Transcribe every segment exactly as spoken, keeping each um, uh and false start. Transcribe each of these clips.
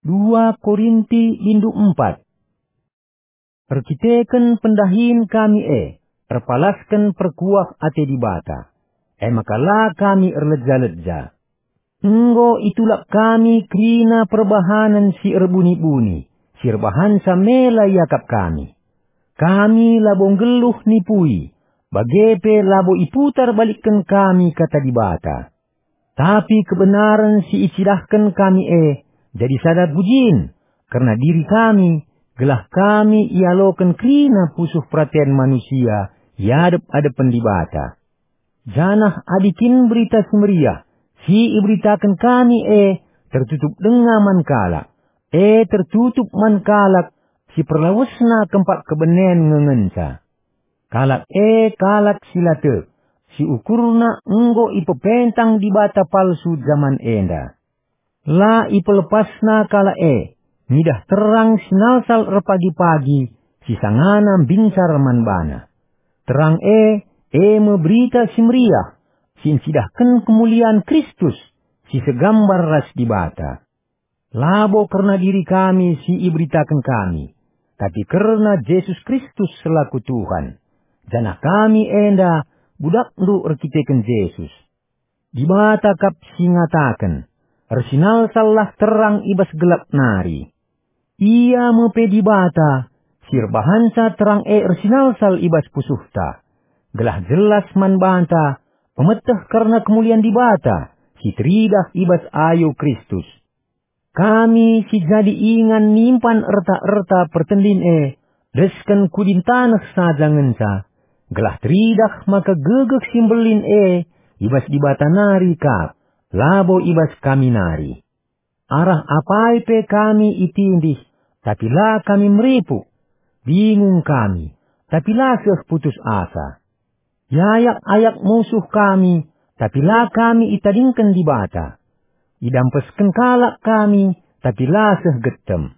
Dua Korinti bindu empat. Erkiteken pendahin kami e, erpalasken perkuah ate Dibata, e maka la kami erleja-leja. Enggo itulak kami kerina perbahanen si erbuni-buni, si erbahanca mela iakap kami. Kami labo nggeluh nipui, bage pe labo iputar balikken kami Kata Dibata. Tapi kebenaren si icidahken kami e jadi sada pujin kerna diri kami, gelah kami ialoken kerina pusuh peraten manusia i adep-adepen Dibata. Janah adi kin Berita Si Meriah si iberitaken kami e tertutup denga man kalak, e tertutup man kalak si perlawesna kempak kebenen nge ngenca. Kalak e kalak si la tek, si ukurna enggo ipepentang dibata palsu jaman enda. La ipelepasna kalak e ngidah terang si nalsal erpagi-pagi si sangana mbinsar man bana. Terang e, e me Berita Si Meriah, si ncidahken kemulian Kristus, si segambar ras Dibata. Labo kerna diri kami si iberitaken kami, tapi kerna Jesus Kristus selaku Tuhan, janah kami enda budakndu erkiteken Jesus. Dibata kap si ngataken, "Ersinalsallah terang i bas gelap nari." Ia me pe Dibata, si erbahanca terang e ersinalsal i bas pusuhta, gelah jelas man banta pemeteh kerna kemulian Dibata si teridah i bas ayo Kristus. Kami si jadi ingan nimpan erta-erta pertendin e, desken kudin taneh saja ngenca, gelah teridah maka gegeh si mbelin e i bas Dibata nari kap, labo i bas kami nari. Arah apai pe kami itindih, tapi la kami meripuk. Bingung kami, tapi la seh putus asa. Iayak-ayak musuh kami, tapi la kami itadingken Dibata. Idampesken kalak kami, tapi la seh getem.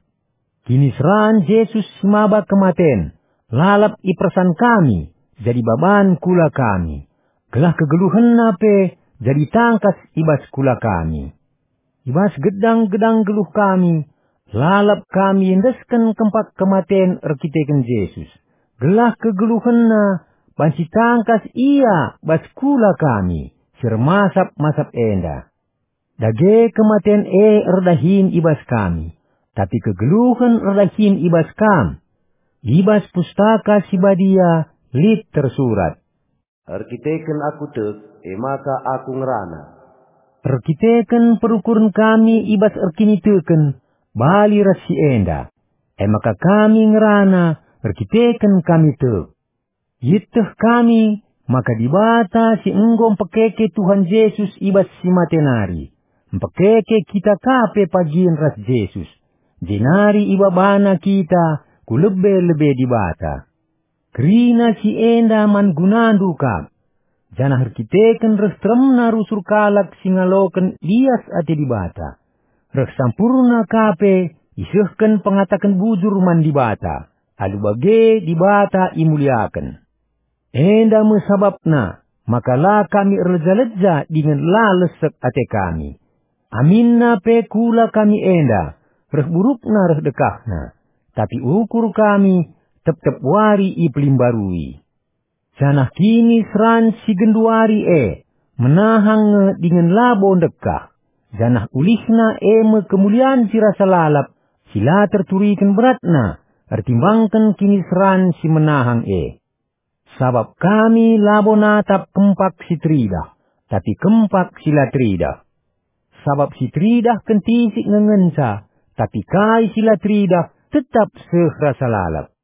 Kiniseran Jesus si maba kematen, lalap ipersan kami, jadi baban kula kami, gelah kegeluhenNa pe jadi tangkas i bas kula kami. I bas gedang-gedang geluh kami, lalap kami endesken kempak kematen erkiteken Jesus, gelah kegeluhenNa banci tangkas Ia bas kula kami si ermasap-masap enda. Dage kematen e erdahin i bas kami, tapi kegeluhen erdahin i bas kam. I bas Pustaka Si Badia lit tersurat, "Erkiteken aku tek, e maka aku ngerana." Erkiteken perukuren kami i bas erkiniteken bali ras si enda, e maka kami ngerana erkiteken kami tek. Ieteh kami maka Dibata si enggo mpekeke Tuhan Jesus i bas si mate nari, mpekeke kita ka pe pagin ras Jesus, jenari ibabana kita ku lebe-lebe Dibata. Kerina si enda man gunandu kap, janah erkiteken reh teremna rusur kalak si ngaloken lias ate Dibata, reh sampurna ka pe isehken pengataken bujur man Dibata, alu bage Dibata imuliaken. Enda me sabapna maka la kami erleja-leja dingen la lesek ate kami. Aminna pe kula kami enda, reh burukna reh dekahna, tapi ukur kami tep-tep wari ipelimbarui. Janah kiniseran si genduari e menahang nge dingen labo ndekah, janah ulihna e me kemulian si rasa lalap, si la terturiken beratna ertimbangken kiniseran si menahang e. Sabap kami labo natap kempak si teridah, tapi kempak si la teridah. Sabap si teridah kentisik nge ngenca, tapi kai si la teridah tetap seh rasa lalap.